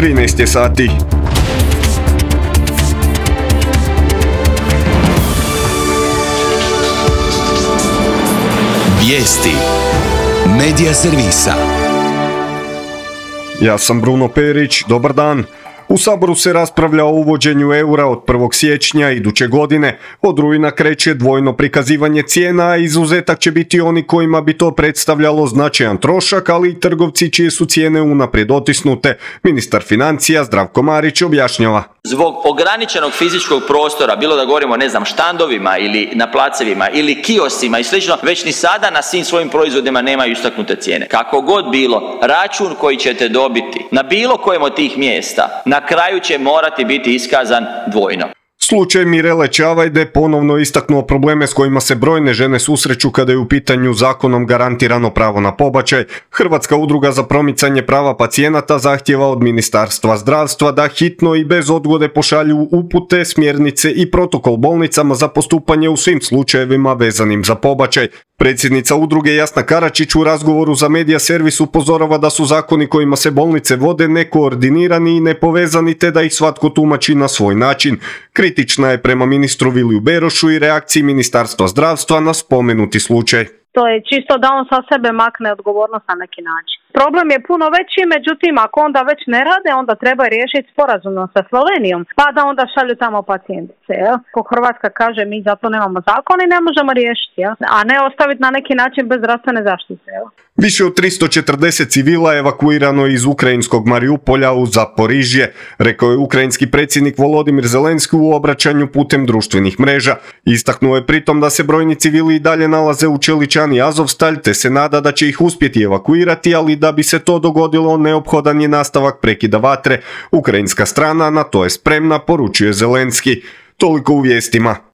13 je sati. Vijesti Medija servisa. Ja sam Bruno Perić, dobar dan. U Saboru se raspravlja o uvođenju eura od 1. siječnja iduće godine. Od rujna kreće dvojno prikazivanje cijena, a izuzetak će biti oni kojima bi to predstavljalo značajan trošak, ali i trgovci čije su cijene unaprijed otisnute. Ministar financija Zdravko Marić objašnjava. Zbog ograničenog fizičkog prostora, bilo da govorimo štandovima ili na placevima ili kioscima i slično, već ni sada na svim svojim proizvodima nemaju istaknute cijene. Kako god bilo, račun koji ćete dobiti na bilo kojem od tih mjesta na kraju će morati biti iskazan dvojno. Slučaj Mirele Čavajde ponovno istaknuo probleme s kojima se brojne žene susreću kada je u pitanju zakonom garantirano pravo na pobačaj. Hrvatska udruga za promicanje prava pacijenata zahtijeva od Ministarstva zdravstva da hitno i bez odgode pošalju upute, smjernice i protokol bolnicama za postupanje u svim slučajevima vezanim za pobačaj. Predsjednica udruge Jasna Karačić u razgovoru za Medija servis upozorava da su zakoni kojima se bolnice vode nekoordinirani i nepovezani te da ih svatko tumači na svoj način. Kritična je prema ministru Viliju Berošu i reakciji Ministarstva zdravstva na spomenuti slučaj. To je čisto da on sa sebe makne odgovornost na neki način. Problem je puno veći, međutim ako onda već ne rade, onda treba riješiti sporazumno sa Slovenijom, pa da onda šalju tamo pacijentice. Ko Hrvatska kaže mi za to nemamo zakon i ne možemo riješiti, a ne ostaviti na neki način bez zdravstvene zaštite. Više od 340 civila je evakuirano iz ukrajinskog Mariupolja u Zaporižje, rekao je ukrajinski predsjednik Volodimir Zelenski u obraćanju putem društvenih mreža. Istaknuo je pritom da se brojni civili i dalje nalaze u čeličani Azovstalj, te se nada da će ih uspjeti evakuirati, ali da bi se to dogodilo neophodan je nastavak prekida vatre. Ukrajinska strana na to je spremna, poručuje Zelenski. Toliko u vijestima.